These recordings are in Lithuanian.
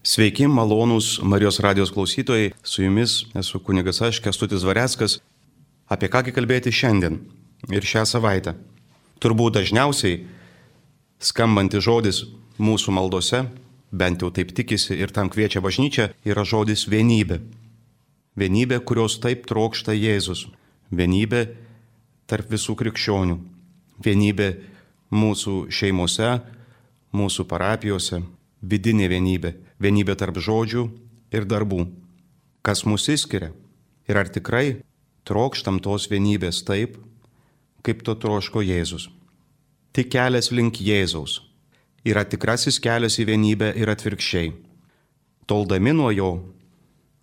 Sveiki, malonūs Marijos radijos klausytojai, su jumis esu kunigas aš, Kęstutis Dvareckas. Apie kągi kalbėti šiandien ir šią savaitę? Turbūt dažniausiai skambantis žodis mūsų maldose, bent jau taip tikisi ir tam kviečia bažnyčia, yra žodis vienybė. Vienybė, kurios taip trokšta Jėzus. Vienybė tarp visų krikščionių. Vienybė mūsų šeimose, mūsų parapijose. Vidinė vienybė. Vienybė tarp žodžių ir darbų. Kas mus išskiria? Ir ar tikrai trokštam tos vienybės taip, kaip to troško Jėzus? Tik kelias link Jėzaus yra tikrasis kelias į vienybę ir atvirkščiai. Toldami nuo jo,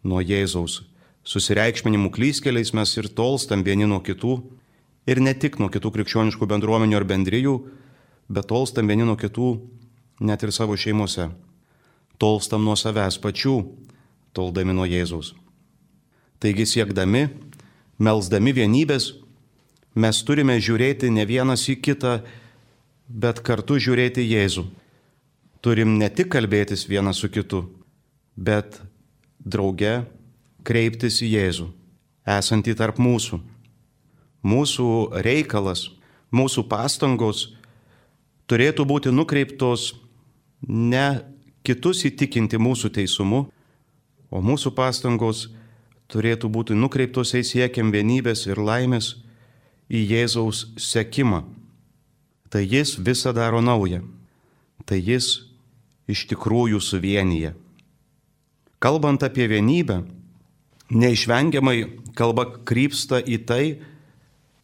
nuo Jėzaus, susireikšminimų klystkeliais mes ir tolstam vieni nuo kitų, ir ne tik nuo kitų krikščioniškų bendruomenių ar bendrijų, bet tolstam vieni nuo kitų net ir savo šeimose. Tolstam nuo savęs pačių, toldami nuo Jėzaus. Taigi siekdami, melsdami vienybės, mes turime žiūrėti ne vienas į kitą, bet kartu žiūrėti Jėzų. Turim ne tik kalbėtis vienas su kitu, bet drauge kreiptis į Jėzų, esantį tarp mūsų. Mūsų reikalas, mūsų pastangos turėtų būti nukreiptos ne kitus įtikinti mūsų teisumu, o mūsų pastangos turėtų būti nukreiptos į siekiam vienybės ir laimės į Jėzaus sekimą. Tai jis visą daro naują. Tai jis iš tikrųjų suvienyje. Kalbant apie vienybę, neišvengiamai kalba krypsta į tai,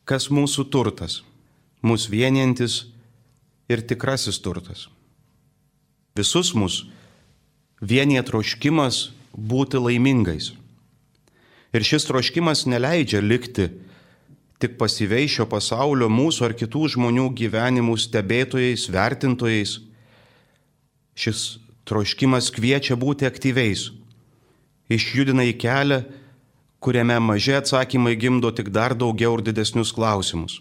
kas mūsų turtas, mūsų vienijantis ir tikrasis turtas. Visus mus vienija troškimas būti laimingais. Ir šis troškimas neleidžia likti tik pasyviai šio pasaulio mūsų ar kitų žmonių gyvenimų stebėtojais, vertintojais. Šis troškimas kviečia būti aktyviais, išjudina į kelią, kuriame maži atsakymai gimdo tik dar daugiau ir didesnius klausimus.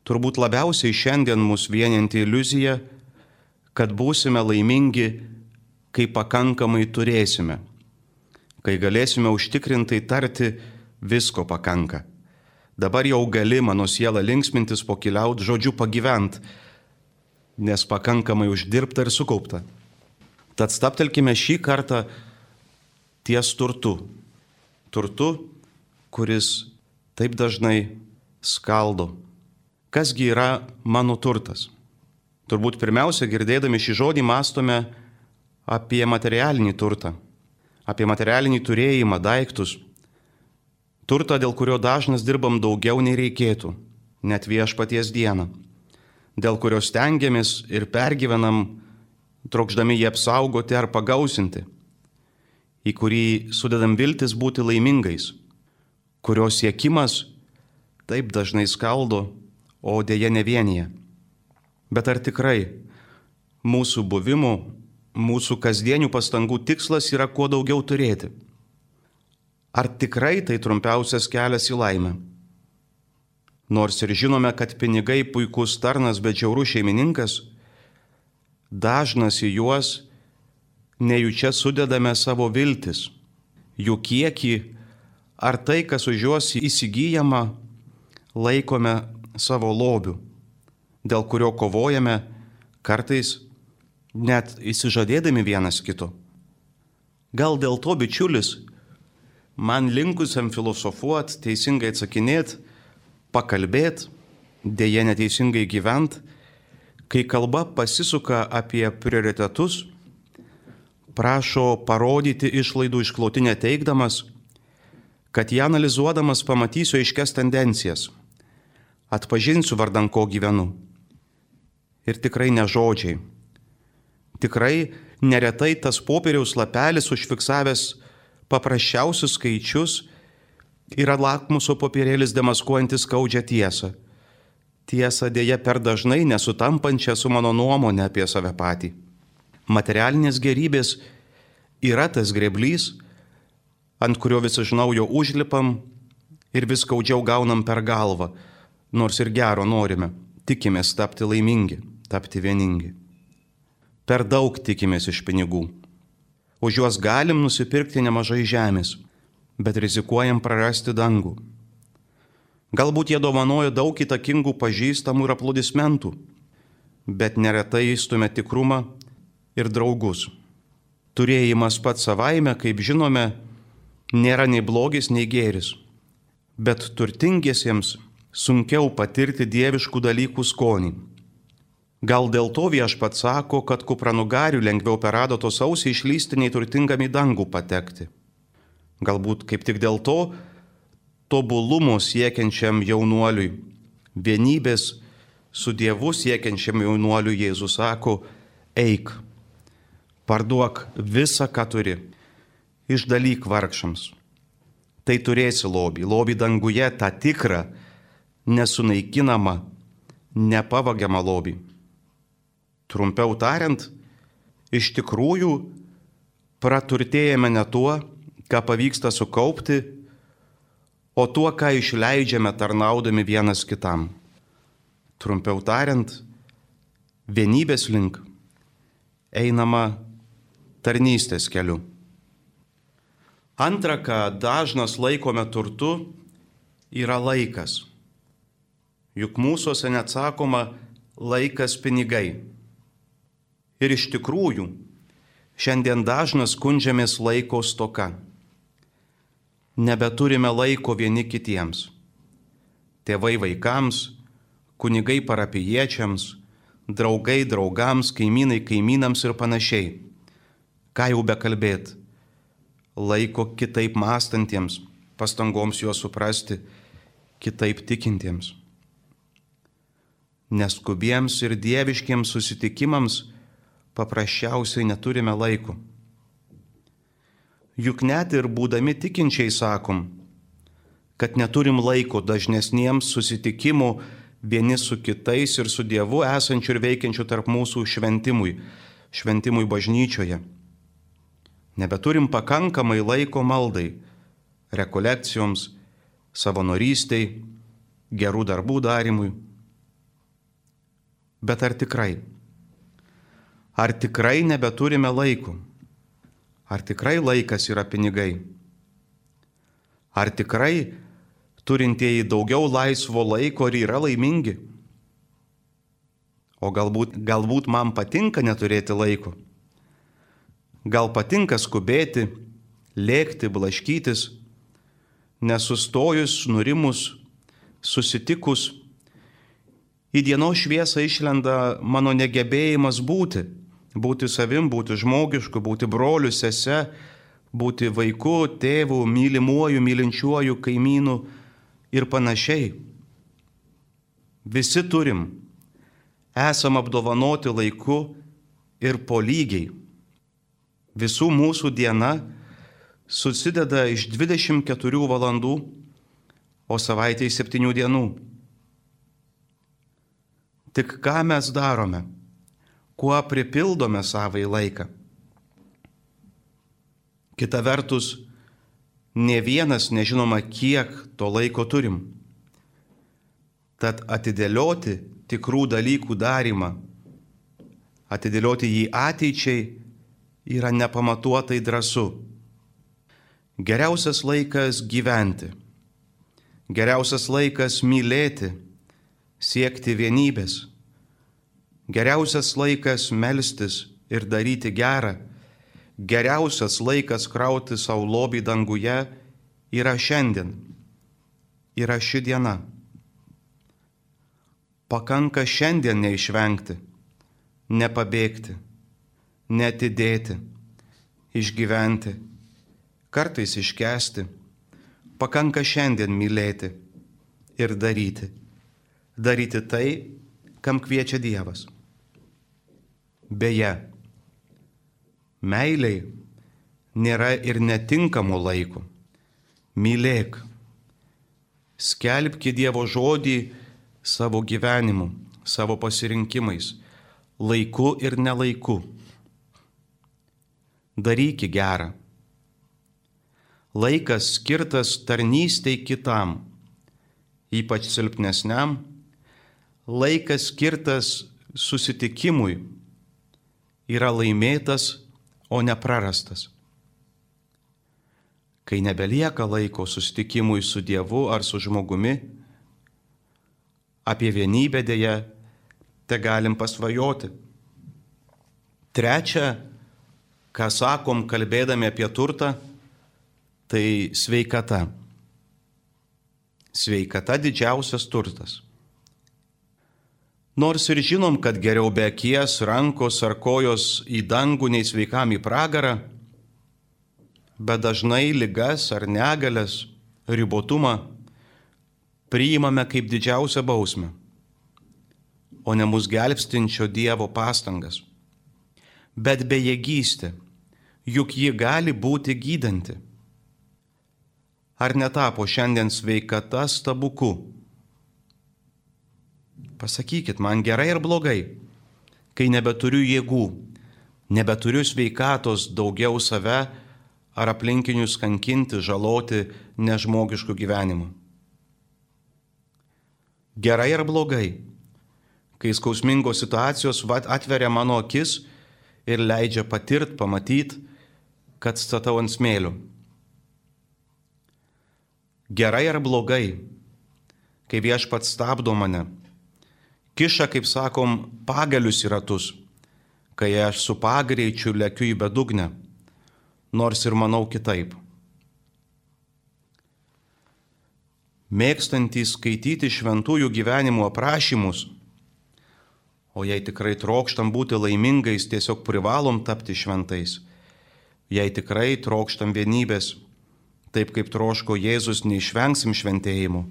Turbūt labiausiai šiandien mus vienianti iliuzija, kad būsime laimingi, kai pakankamai turėsime, kai galėsime užtikrintai tarti visko pakanka. Dabar jau gali mano sielą linksmintis, pokiliaut, žodžiu pagyvent, nes pakankamai uždirbta ir sukaupta. Tad stabtelkime šį kartą ties turtu. Turtu, kuris taip dažnai skaldo. Kasgi yra mano turtas? Turbūt pirmiausia, girdėdami šį žodį, mąstome apie materialinį turtą, apie materialinį turėjimą, daiktus. Turtą, dėl kurio dažnas dirbam daugiau nei reikėtų, net viešpaties dieną, dėl kurio stengiamės ir pergyvenam, trokšdami jį apsaugoti ar pagausinti, į kurį sudedam viltis būti laimingais, kurio siekimas taip dažnai skaldo, o dėja nevienyje. Bet ar tikrai mūsų buvimo, mūsų kasdienių pastangų tikslas yra kuo daugiau turėti? Ar tikrai tai trumpiausias kelias į laimę? Nors ir žinome, kad pinigai puikus tarnas, bet žiaurus šeimininkas, dažnas į juos nejučia sudedame savo viltis, jų kiekį ar tai, kas už juos įsigyjama, laikome savo lobiu, dėl kurio kovojame kartais net įsižadėdami vienas kito. Gal dėl to, bičiulis, man linkusiam filosofuot, teisingai atsakinėt, pakalbėt, dėja neteisingai gyvent, kai kalba pasisuka apie prioritetus, prašo parodyti išlaidų išklotinę teigdamas, kad ją analizuodamas pamatysiu aiškias tendencijas, atpažinsiu vardan ko gyvenu. Ir tikrai ne žodžiai. Tikrai neretai tas popieriaus lapelis užfiksavęs paprasčiausius skaičius yra lakmuso popierėlis demaskuojantis skaudžią tiesą. Tiesą dėja per dažnai nesutampančią su mano nuomonė apie save patį. Materialinės gerybės yra tas grėblys, ant kurio vis iš naujo užlipam ir vis skaudžiau gaunam per galvą, nors ir gero norime, tikimės tapti laimingi, tapti vieningi. Per daug tikimės iš pinigų. Už juos galim nusipirkti nemažai žemės, bet rizikuojam prarasti dangų. Galbūt jie dovanoja daug įtakingų pažįstamų ir aplodismentų, bet neretai įstumia tikrumą ir draugus. Turėjimas pats savaime, kaip žinome, nėra nei blogis, nei gėris, bet turtingiesiems sunkiau patirti dieviškų dalykų skonį. Gal dėl to Viešpats sako, kad kupranugarių lengviau per adatos ausį išlysti, nei turtingam į dangų patekti. Galbūt kaip tik dėl to tobulumo siekiančiam jaunuoliui, vienybės su Dievu siekiančiam jaunuoliui Jėzus sako, eik, parduok visą, ką turi, išdalyk vargšams. Tai turėsi lobį danguje, tą tikrą, nesunaikinamą, nepavagiamą lobį. Trumpiau tariant, iš tikrųjų praturtėjame ne tuo, ką pavyksta sukaupti, o tuo, ką išleidžiame tarnaudami vienas kitam. Trumpiau tariant, vienybės link einama tarnystės keliu. Antra, ką dažnas laikome turtu, yra laikas. Juk mūsuose net sakoma laikas pinigai. Ir iš tikrųjų, šiandien dažnas skundžiamės laiko stoka. Nebeturime laiko vieni kitiems. Tėvai vaikams, kunigai parapijiečiams, draugai draugams, kaimynai kaimynams ir panašiai. Ką jau bekalbėt? Laiko kitaip mąstantiems, pastangoms juos suprasti, kitaip tikintiems. Neskubiems ir dieviškiems susitikimams paprasčiausiai neturime laiko. Juk net ir būdami tikinčiai sakom, kad neturim laiko dažnesniems susitikimų vieni su kitais ir su Dievu esančiu ir veikiančiu tarp mūsų šventimui bažnyčioje. Nebeturim pakankamai laiko maldai, rekolekcijoms, savanorystei, gerų darbų darimui. Bet ar tikrai? Ar tikrai nebeturime laiko? Ar tikrai laikas yra pinigai? Ar tikrai turintieji daugiau laisvo laiko ir yra laimingi? O galbūt man patinka neturėti laiko? Gal patinka skubėti, lėkti, blaškytis, nesustojus, nurimus, susitikus? Į dienos šviesą išlenda mano negebėjimas būti savim, būti žmogišku, būti broliu, sese, būti vaiku, tėvu, mylimuoju, mylinčiuoju, kaimynu ir panašiai. Visi turim, esam apdovanoti laiku ir po lygiai. Visų mūsų diena susideda iš 24 valandų, o savaitėje 7 dienų. Tik ką mes darome? Kuo pripildome savai laiką? Kita vertus, ne vienas nežinoma, kiek to laiko turim. Tad atidėlioti tikrų dalykų darymą, atidėlioti jį ateičiai yra nepamatuotai drąsu. Geriausias laikas gyventi, geriausias laikas mylėti, siekti vienybės. Geriausias laikas melstis ir daryti gerą, geriausias laikas krauti savo lobį danguje yra šiandien, yra ši diena. Pakanka šiandien neišvengti, nepabėgti, neatidėti, išgyventi, kartais iškęsti. Pakanka šiandien mylėti ir daryti tai, kam kviečia Dievas. Beje, meiliai nėra ir netinkamo laiko. Mylėk, skelbki Dievo žodį savo gyvenimu, savo pasirinkimais, laiku ir nelaiku. Daryk gerą. Laikas skirtas tarnystei kitam, ypač silpnesniam, laikas skirtas susitikimui yra laimėtas o ne prarastas. Kai nebelieka laiko susitikimui su Dievu ar su žmogumi, apie vienybę dėja te galim pasvajoti. Trečia, ką sakom kalbėdami apie turtą, tai sveikata. Sveikata didžiausias turtas. Nors ir žinom, kad geriau be akies, rankos ar kojos į dangų nei sveikam į pragarą, bet dažnai ligas ar negalias, ribotumą priimame kaip didžiausią bausmę, o ne mus gelbstinčio Dievo pastangas. Bet bejėgystė, juk ji gali būti gydanti. Ar netapo šiandien sveikata stebuklu? Pasakykit man, gerai ar blogai, kai nebeturiu jėgų, nebeturiu sveikatos daugiau save ar aplinkinius kankinti, žaloti nežmogiškų gyvenimų? Gerai ar blogai, kai skausmingos situacijos atveria mano akis ir leidžia pamatyti, kad statau ant smėlių? Gerai ar blogai, kai Viešpats stabdo mane, kiša, kaip sakom, pagalius į ratus, kai aš su pagreičiu lekiu į bedugnę, nors ir manau kitaip. Mėgstantys skaityti šventųjų gyvenimo aprašymus, o jei tikrai trokštam būti laimingais, tiesiog privalom tapti šventais. Jei tikrai trokštam vienybės, taip kaip troško Jėzus, neišvengsim šventėjimų.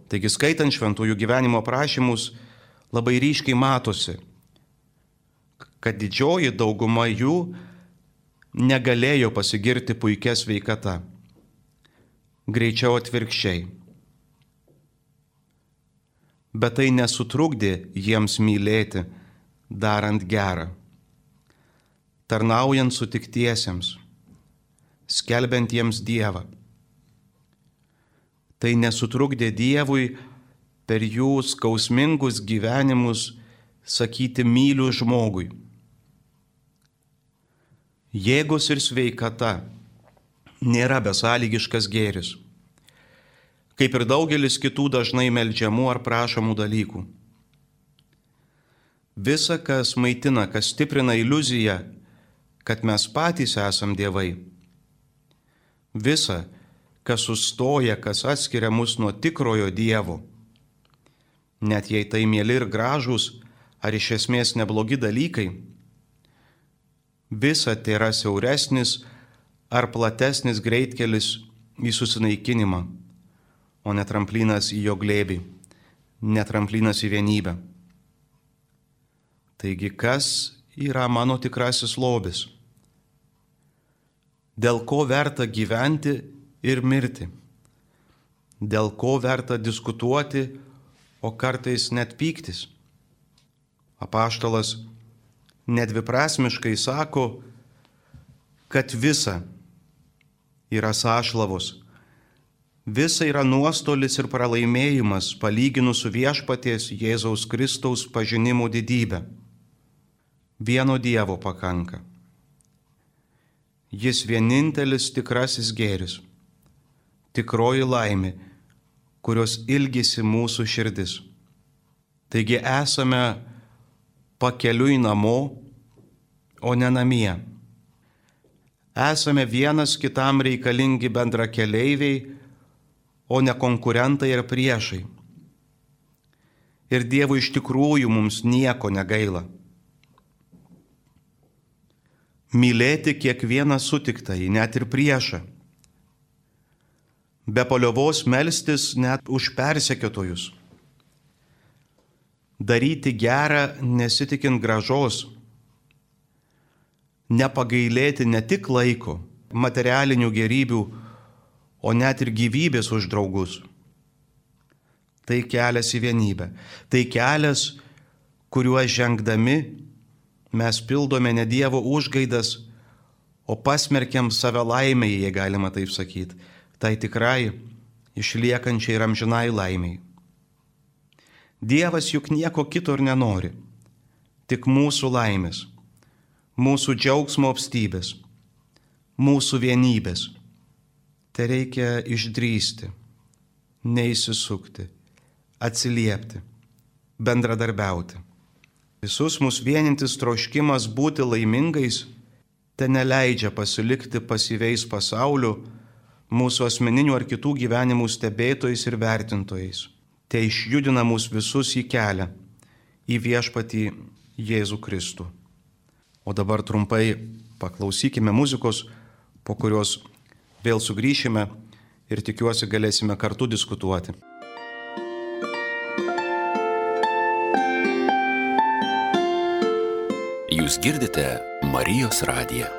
Taigi skaitant šventųjų gyvenimo aprašymus labai ryškiai matosi, kad didžioji dauguma jų negalėjo pasigirti puikia sveikata. Greičiau atvirkščiai. Bet tai nesutrukdė jiems mylėti, darant gerą, tarnaujant sutiktiesiems, skelbiant jiems Dievą. Tai nesutrukdė Dievui per jų skausmingus gyvenimus sakyti myliu žmogui. Jėgos ir sveikata nėra besąlygiškas gėris, kaip ir daugelis kitų dažnai meldžiamų ar prašomų dalykų. Visa, kas maitina, kas stiprina iliuziją, kad mes patys esam dievai. Visa, kas sustoja, kas atskiria mus nuo tikrojo Dievo. Net jei tai mieli ir gražūs, ar iš esmės neblogi dalykai, visa tai yra siauresnis ar platesnis greitkelis į susinaikinimą, o ne tramplinas į jo glėbį, ne tramplinas į vienybę. Taigi, kas yra mano tikrasis lobis? Dėl ko verta gyventi ir mirti? Dėl ko verta diskutuoti, o kartais net pyktis? Apaštalas nedviprasmiškai sako, kad visa yra sąšlavos, visa yra nuostolis ir pralaimėjimas palyginus su viešpaties Jėzaus Kristaus pažinimo didybę. Vieno Dievo pakanka. Jis vienintelis tikrasis gėris, tikroji laimė, kurios ilgisi mūsų širdis. Taigi esame pakeliui namo, o ne namie. Esame vienas kitam reikalingi bendrakeleiviai, o ne konkurentai ir priešai. Ir Dievui iš tikrųjų mums nieko negaila. Mylėti kiekvieną sutiktąjį, net ir priešą. Be paliovos melstis net už persekiotojus. Daryti gerą nesitikint grąžos. Nepagailėti ne tik laiko, materialinių gėrybių, o net ir gyvybės už draugus. Tai kelias į vienybę. Tai kelias, kuriuo žengdami mes pildome ne Dievo užgaidas, o pasmerkiam save laimei, jei galima taip sakyti. Tai tikrai išliekančiai ir amžinai laimiai. Dievas juk nieko kito ir nenori, tik mūsų laimės, mūsų džiaugsmo apstybės, mūsų vienybės. Tai reikia išdrįsti, neįsisukti, atsiliepti, bendradarbiauti. Visus mus vienintis troškimas būti laimingais te neleidžia pasilikti pasyviais pasauliu, mūsų asmeninių ar kitų gyvenimų stebėtojais ir vertintojais. Te išjudina mus visus į kelią, į viešpatį Jėzų Kristų. O dabar trumpai paklausykime muzikos, po kurios vėl sugrįšime ir tikiuosi galėsime kartu diskutuoti. Jūs girdite Marijos radiją.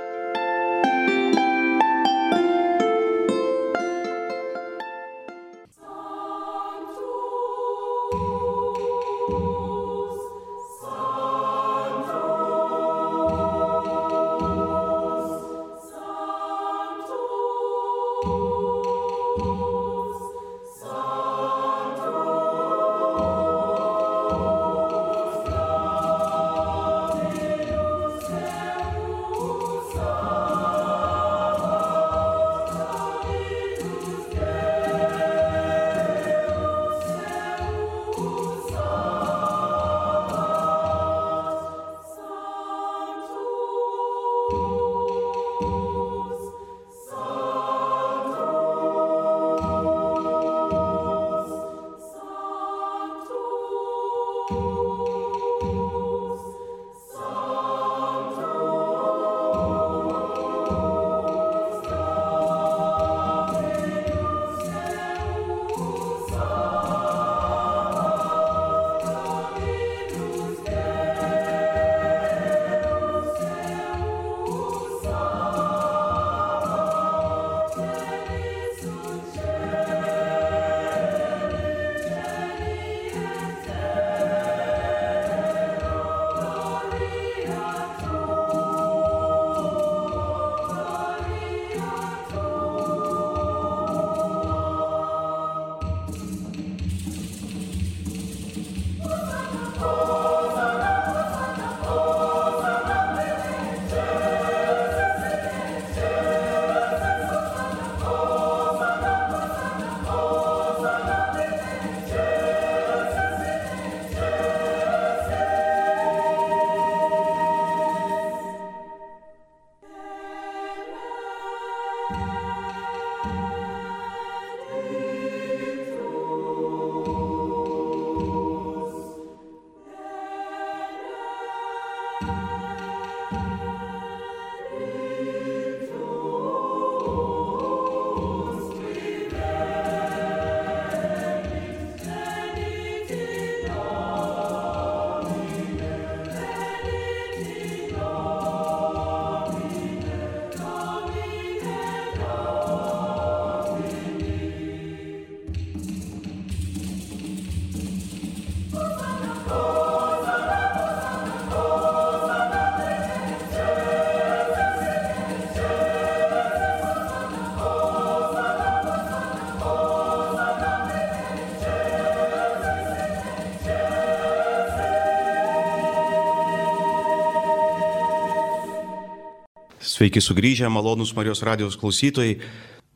Sveiki sugrįžę, malonūs Marijos radijos klausytojai.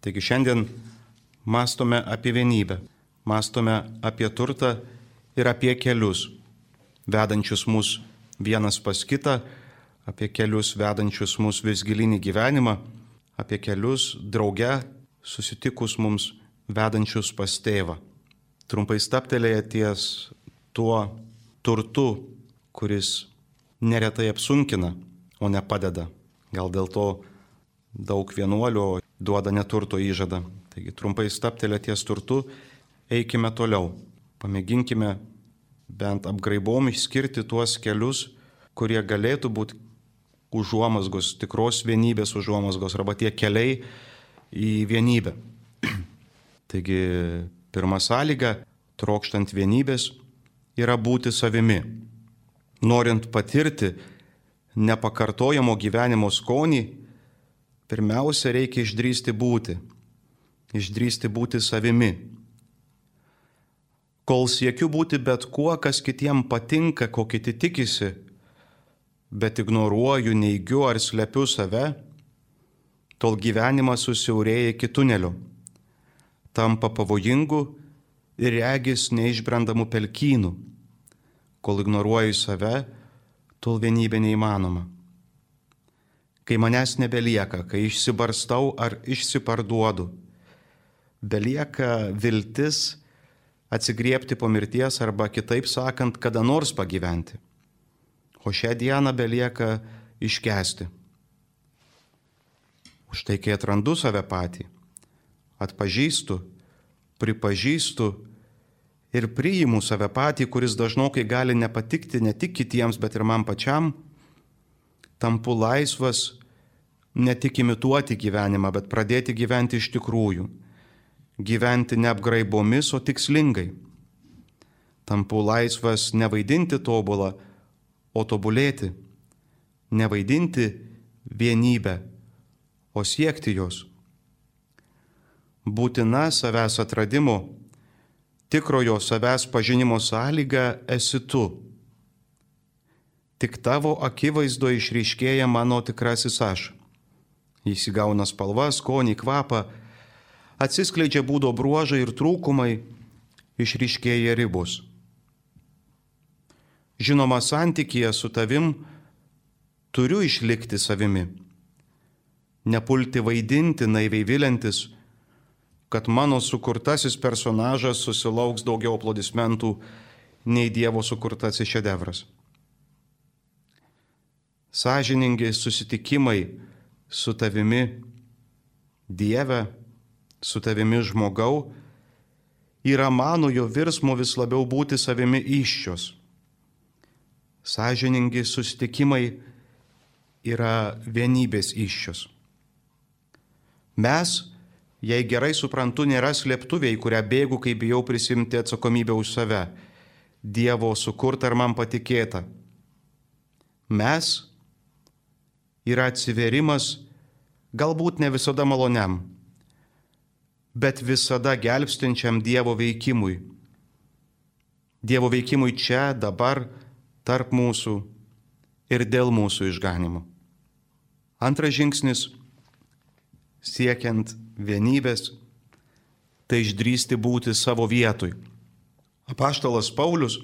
Taigi šiandien mąstome apie vienybę, mąstome apie turtą ir apie kelius, vedančius mus vienas pas kitą, apie kelius vedančius mus vis gilinį gyvenimą, apie kelius drauge susitikus mums vedančius pas tėvą. Trumpai stabtelėję ties tuo turtu, kuris neretai apsunkina, o ne padeda. Gal dėl to daug vienuolių duoda neturto įžadą. Taigi trumpai stabtelę ties turtu, eikime toliau. Pamėginkime bent apgraibom išskirti tuos kelius, kurie galėtų būti užuomazgos, tikros vienybės užuomazgos, arba tie keliai į vienybę. Taigi pirma sąlyga, trokštant vienybės, yra būti savimi. Norint patirti nepakartojamo gyvenimo skonį, pirmiausia reikia išdrįsti būti savimi. Kol siekiu būti bet kuo, kas kitiem patinka, ko kiti tikisi, bet ignoruoju, neigiu ar slepiu save, tol gyvenimas susiaurėja iki tunelio, tampa pavojingu ir regis neišbrendamų pelkynų. Kol ignoruoju save, tol vienybė neįmanoma. Kai manęs nebelieka, kai išsibarstau ar išsiparduodu, belieka viltis atsigriebti po mirties arba kitaip sakant, kada nors pagyventi. O šią dieną belieka iškęsti. Už tai, kai atrandu save patį, atpažįstu, pripažįstu ir priimu save patį, kuris dažnokai gali nepatikti ne tik kitiems, bet ir man pačiam, tampu laisvas ne tik imituoti gyvenimą, bet pradėti gyventi iš tikrųjų. Gyventi ne apgraibomis, o tikslingai. Tampu laisvas nevaidinti tobulą, o tobulėti. Nevaidinti vienybę, o siekti jos. Būtina savęs atradimo, tikrojo savęs pažinimo sąlyga esi tu. Tik tavo akivaizdo išryškėja mano tikrasis aš. Jis įgauna spalvą, skonį, kvapą, atsiskleidžia būdo bruožai ir trūkumai, išryškėja ribos. Žinoma, santykyje su tavim turiu išlikti savimi. Nepulti vaidinti, naiviai viliantis, kad mano sukurtasis personažas susilauks daugiau aplodismentų nei Dievo sukurtasis šedevras. Sąžiningi susitikimai su tavimi, Dieve, su tavimi žmogau, yra manojo virsmo vis labiau būti savimi įsčios. Sąžiningi susitikimai yra vienybės įsčios. Mes, jei gerai suprantu, nėra slėptuviai, kurią bėgu, kai bijau prisimti atsakomybę už save, Dievo sukurta ir man patikėta. Mes yra atsiverimas, galbūt ne visada maloniam, bet visada gelbstinčiam Dievo veikimui. Dievo veikimui čia, dabar, tarp mūsų ir dėl mūsų išganimo. Antras žingsnis, siekiant vienybės, tai išdrįsti būti savo vietoj. Apaštalas Paulius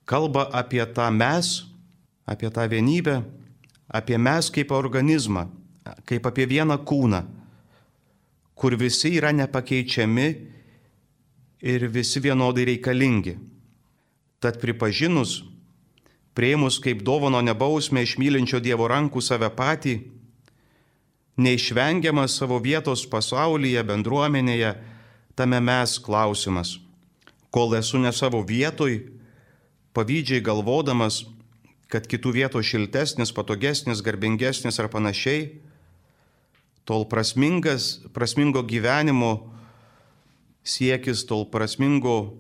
kalba apie tą mes, apie tą vienybę, apie mes kaip organizmą, kaip apie vieną kūną, kur visi yra nepakeičiami ir visi vienodai reikalingi. Tad pripažinus, prieimus kaip dovano nebausmę iš mylinčio Dievo rankų save patį, neišvengiamas savo vietos pasaulyje, bendruomenėje, tame mes klausimas. Kol esu ne savo vietoj, pavydžiai galvodamas, kad kitų vietos šiltesnis, patogesnis, garbingesnis ar panašiai, tol prasmingo gyvenimo siekis, tol prasmingo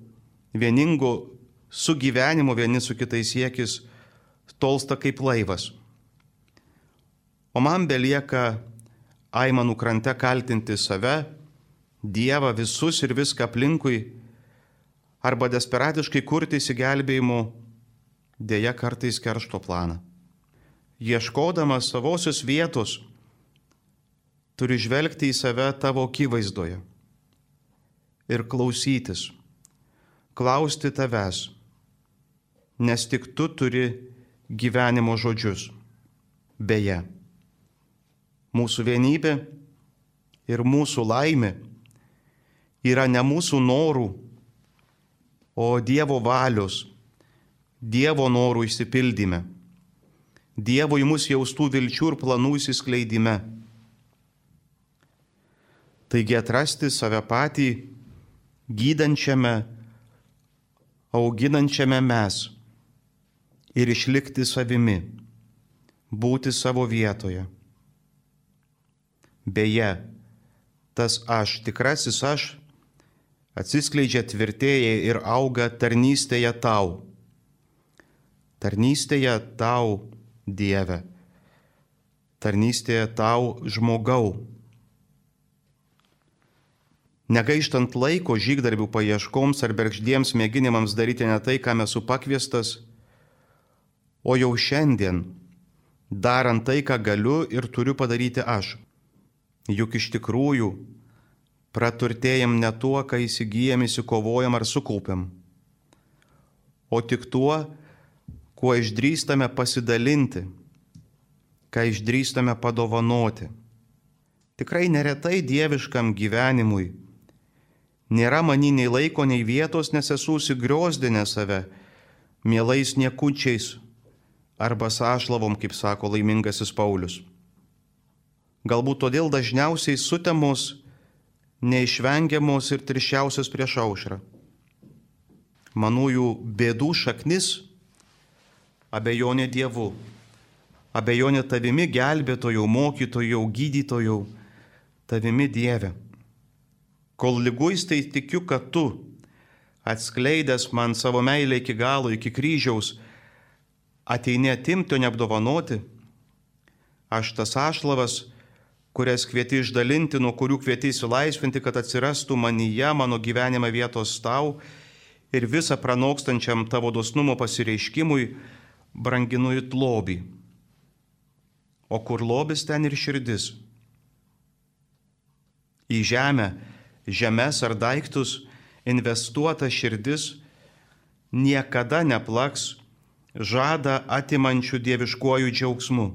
vieningo sugyvenimo vieni su kitais siekis tolsta kaip laivas. O man belieka aimanų krante kaltinti save, Dievą, visus ir viską aplinkui, arba desperatiškai kurti išsigelbėjimo, dėja kartais keršto planą. Ieškodamas savosios vietos, turi žvelgti į save tavo akivaizdoje ir klausytis, klausti tavęs, nes tik tu turi gyvenimo žodžius. Beje, mūsų vienybė ir mūsų laimė yra ne mūsų norų, o Dievo valios, Dievo norų išsipildyme, Dievo į mus jaustų vilčių ir planų įsiskleidime. Taigi atrasti save patį gydančiame, auginančiame mes ir išlikti savimi, būti savo vietoje. Beje, tas aš, tikrasis aš, atsiskleidžia, tvirtėja ir auga tarnystėje tau. Tarnystėje tau, Dieve. Tarnystėje tau, žmogau. Negaištant laiko žygdarbių paieškoms ar bergždiems mėginimams daryti ne tai, kam esu pakviestas, o jau šiandien, darant tai, ką galiu ir turiu padaryti aš. Juk iš tikrųjų praturtėjam ne tuo, ką įsigijam, įsikovojam ar sukaupiam, o tik tuo, kuo išdrįstame pasidalinti, ką išdrįstame padovanoti. Tikrai neretai dieviškam gyvenimui nėra many nei laiko, nei vietos, nes esu užsigriozdinę save mielais niekučiais arba sąšlavom, kaip sako laimingasis Paulius. Galbūt todėl dažniausiai sutemos, neišvengiamos ir tirščiausios prieš aušrą. Manųjų bėdų šaknis – abejonė Dievu, abejonė tavimi gelbėtojau, mokytojau, gydytojau, tavimi Dieve. Kol liguistai tikiu, kad tu, atskleidęs man savo meilę iki galo, iki kryžiaus, ateini atimti, o neapdovanoti, aš tas ašlavas, kurias kvieti išdalinti, nuo kurių kvieti įsilaisvinti, kad atsirastų manyje, mano gyvenime vietos tau ir visą pranokstančiam tavo dosnumo pasireiškimui, branginu it lobį. O kur lobis, ten ir širdis. Į žemę, žemes ar daiktus investuota širdis niekada neplaks žadą atimančių dieviškuoju džiaugsmu.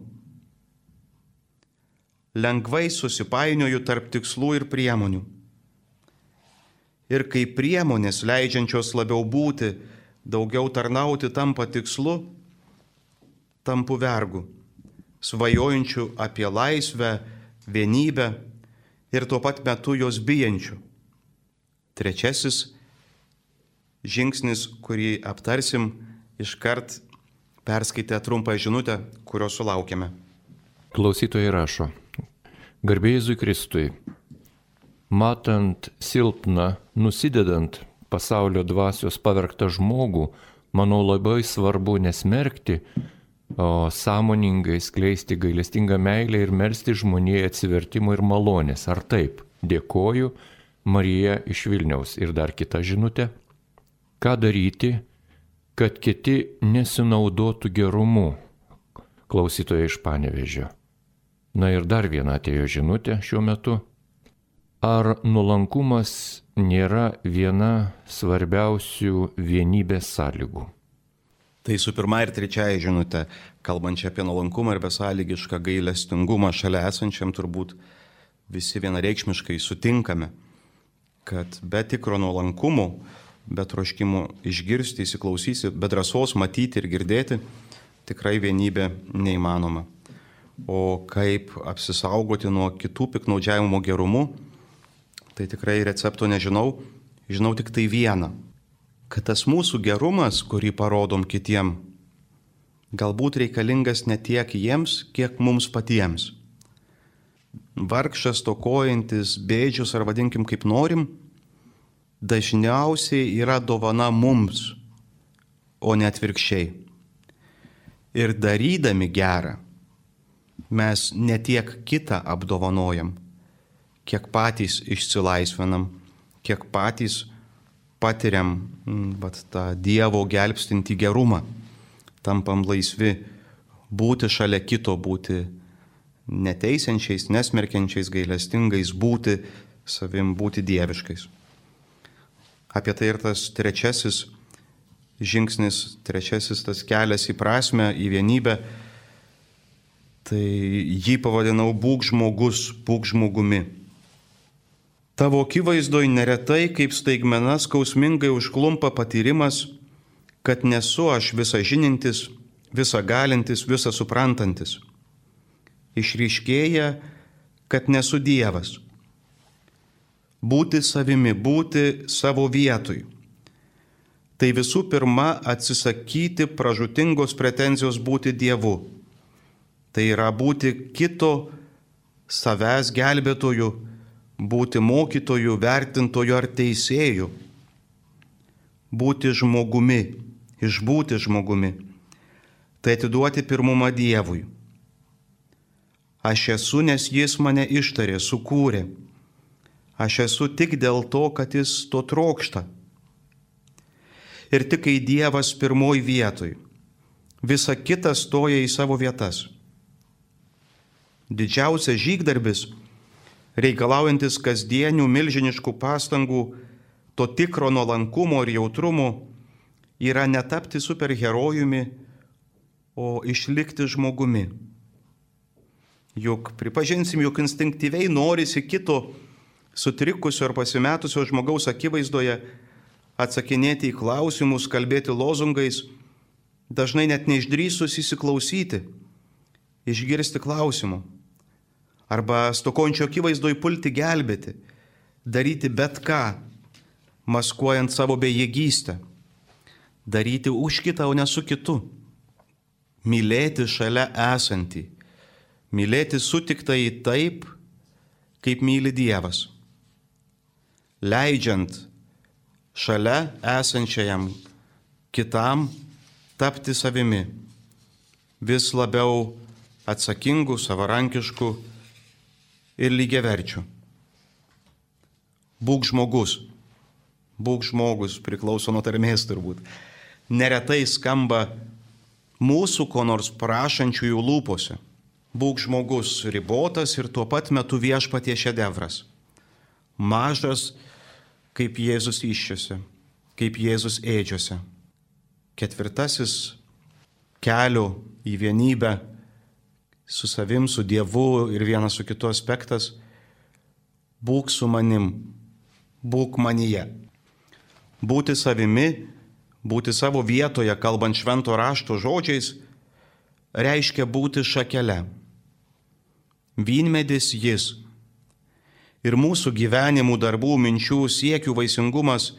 Lengvai susipainioju tarp tikslų ir priemonių. Ir kai priemonės, leidžiančios labiau būti, daugiau tarnauti, tampa tikslu, tampu vergu, svajojančiu apie laisvę, vienybę ir tuo pat metu jos bijančiu. Trečiasis žingsnis, kurį aptarsim, iškart perskaitę trumpą žinutę, kurios sulaukėme. Klausytojai rašo: Garbė Jėzui Kristui, matant silpną, nusidedant pasaulio dvasios pavergtą žmogų, manau labai svarbu nesmerkti, o sąmoningai skleisti gailestingą meilę ir melsti žmonijai atsivertimo ir malonės. Ar taip? Dėkoju, Marija iš Vilniaus. Ir dar kita žinutė. Ką daryti, kad kiti nesinaudotų gerumu? Klausytoja iš Panevėžio. Na ir dar viena atėjo žinutė šiuo metu. Ar nuolankumas nėra viena svarbiausių vienybės sąlygų? Tai su pirma ir trečiaja žinutė, kalbančia apie nuolankumą ir besąlygišką gailestingumą šalia esančiam, turbūt visi vienareikšmiškai sutinkame, kad be tikro nuolankumo, be troškimo išgirsti, įsiklausyti, be drąsos matyti ir girdėti, tikrai vienybė neįmanoma. O kaip apsisaugoti nuo kitų piktnaudžiavimo gerumu, tai tikrai recepto nežinau, žinau tik tai vieną, kad tas mūsų gerumas, kurį parodom kitiem, galbūt reikalingas ne tiek jiems, kiek mums patiems. Vargšas, stokojantis, bėdžius ar vadinkim kaip norim, dažniausiai yra dovana mums, o ne atvirkščiai. Ir darydami gerą, mes ne tiek kitą apdovanojam, kiek patys išsilaisvinam, kiek patys patiriam tą Dievo gelbstintį gerumą, tampam laisvi būti šalia kito, būti neteisiančiais, nesmerkiančiais, gailestingais, būti savim, būti dieviškais. Apie tai ir tas trečiasis žingsnis, trečiasis tas kelias į prasmę, į vienybę, tai jį pavadinau būk žmogus, būk žmogumi. Tavo akivaizdoj neretai kaip staigmena skausmingai užklumpa patyrimas, kad nesu aš visa žinintis, visa galintis, visa suprantantis. Išryškėja, kad nesu Dievas. Būti savimi, būti savo vietoj. Tai visų pirma atsisakyti pražūtingos pretenzijos būti Dievu. Tai yra būti kito savęs gelbėtoju, būti mokytoju, vertintoju ar teisėju. Būti žmogumi, išbūti žmogumi. Tai atiduoti pirmumą Dievui. Aš esu, nes Jis mane ištarė, sukūrė. Aš esu tik dėl to, kad Jis to trokšta. Ir tik kai Dievas pirmoj vietoj, visa kita stoja į savo vietas. Didžiausias žygdarbis, reikalaujantis kasdienių milžiniškų pastangų, to tikro nuolankumo ir jautrumo, yra netapti superherojumi, o išlikti žmogumi. Juk pripažinsim, jog instinktyviai norisi kito sutrikusio ar pasimetusio žmogaus akivaizdoje atsakinėti į klausimus, kalbėti lozungais, dažnai net neišdrįsus įsiklausyti, išgirsti klausimų. Arba stokončio akivaizdoj pulti gelbėti, daryti bet ką, maskuojant savo bejėgystę, daryti už kitą, o ne su kitu, mylėti šalia esantį, mylėti sutiktąjį taip, kaip myli Dievas, leidžiant šalia esančiajam kitam tapti savimi, vis labiau atsakingu, savarankišku ir lygiaverčiu. Būk žmogus, priklauso nuo tarmės turbūt. Neretai skamba mūsų ko nors prašančiųjų lūpose. Būk žmogus ribotas ir tuo pat metu viešpaties šedevras. Mažas, kaip Jėzus įsčiose, kaip Jėzus ėdžiose. Ketvirtasis kelio į vienybę su savim, su Dievu ir vienas su kitu aspektas – būk su manim, būk manyje. Būti savimi, būti savo vietoje, kalbant švento rašto žodžiais, reiškia būti šakele. Vynmedis jis. Ir mūsų gyvenimų, darbų, minčių, siekių vaisingumas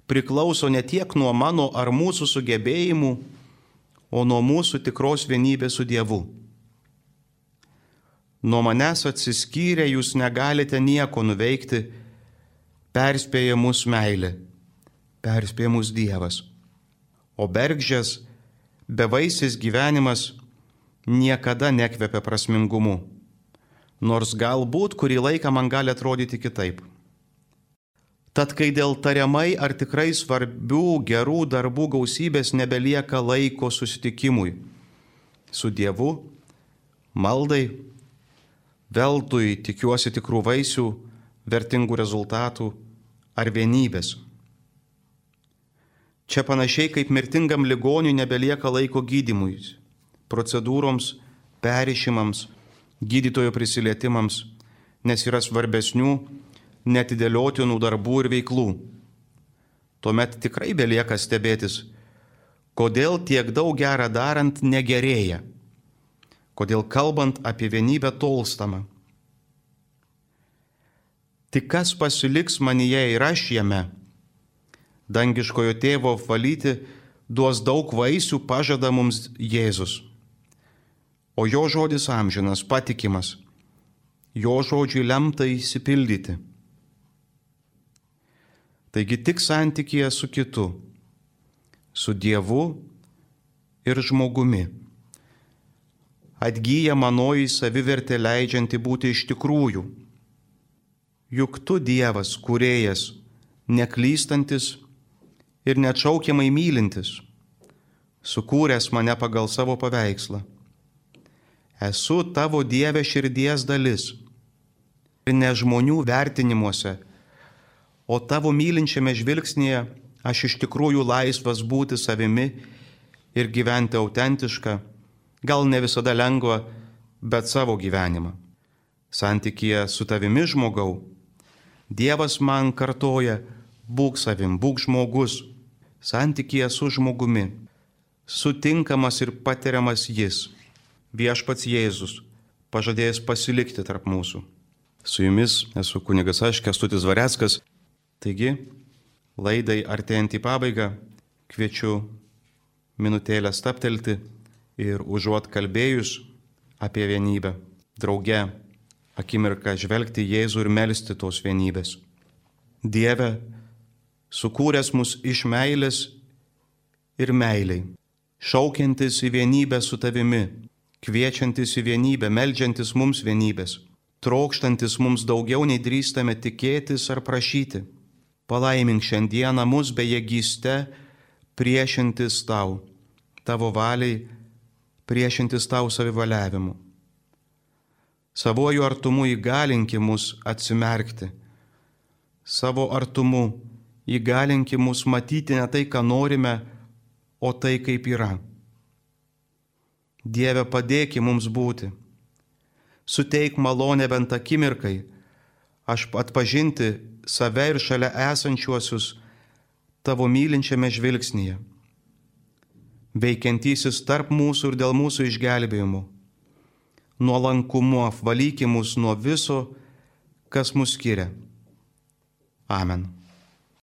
priklauso ne tiek nuo mano ar mūsų sugebėjimų, o nuo mūsų tikros vienybės su Dievu. Nuo manęs atsiskyrę jūs negalite nieko nuveikti, perspėja mus meilė, perspėja mus Dievas. O bergždžias, bevaisis gyvenimas niekada nekvepia prasmingumu, nors galbūt kurį laiką man gali atrodyti kitaip. Tad kai dėl tariamai ar tikrai svarbių gerų darbų gausybės nebelieka laiko susitikimui su Dievu, maldai, veltui tikiuosi tikrų vaisių, vertingų rezultatų ar vienybės. Čia panašiai kaip mirtingam ligoniui nebelieka laiko gydymui, procedūroms, perrišimams, gydytojo prisilietimams, nes yra svarbesnių, neatidėliotinų darbų ir veiklų. Tuomet tikrai belieka stebėtis, kodėl tiek daug gerą darant negerėja, kodėl kalbant apie vienybę tolstama. Tik kas pasiliks manyje ir aš jame, dangiškojo tėvo apvalyti duos daug vaisių, pažada mums Jėzus. O jo žodis amžinas, patikimas, jo žodžiui lemta išsipildyti. Taigi tik santykyje su kitu, su Dievu ir žmogumi, atgyja manoji savivertė leidžianti būti iš tikrųjų. Juk tu Dievas, kūrėjas, neklystantis ir neatšaukiamai mylintis, sukūręs mane pagal savo paveikslą. Esu tavo Dieve širdies dalis ir ne žmonių vertinimuose, o tavo mylinčiame žvilgsnėje aš iš tikrųjų laisvas būti savimi ir gyventi autentišką, gal ne visada lengva, bet savo gyvenimą. Santykyje su tavimi, žmogau, Dievas man kartoja, būk savim, būk žmogus. Santykyje su žmogumi, sutinkamas ir patiriamas jis, viešpats Jėzus, pažadėjęs pasilikti tarp mūsų. Su jumis esu kunigas aš, Kęstutis Dvareckas. Taigi, laidai artėjant į pabaigą, kviečiu minutėlę stabtelti ir užuot kalbėjus apie vienybę, drauge akimirką žvelgti Jėzų ir melsti tos vienybės. Dieve, sukūręs mus iš meilės ir meiliai, šaukiantis į vienybę su tavimi, kviečiantis į vienybę, meldžiantis mums vienybės, trokštantis mums daugiau nei drįstame tikėtis ar prašyti. Palaimink šiandieną mus bejėgyste priešintis tau, tavo valiai, priešintis tau savivaliavimu. Savojų artumu įgalinki mus atsimerkti. Savo artumu įgalinki mus matyti ne tai, ką norime, o tai, kaip yra. Dieve, padėki mums būti. Suteik malonę bent akimirkai, aš atpažinti save ir šalia esančiuosius tavo mylinčiame žvilgsnyje. Veikiantysis tarp mūsų ir dėl mūsų išgelbėjimų. Nuolankumu apvalyki mus nuo viso, kas mus skiria. Amen.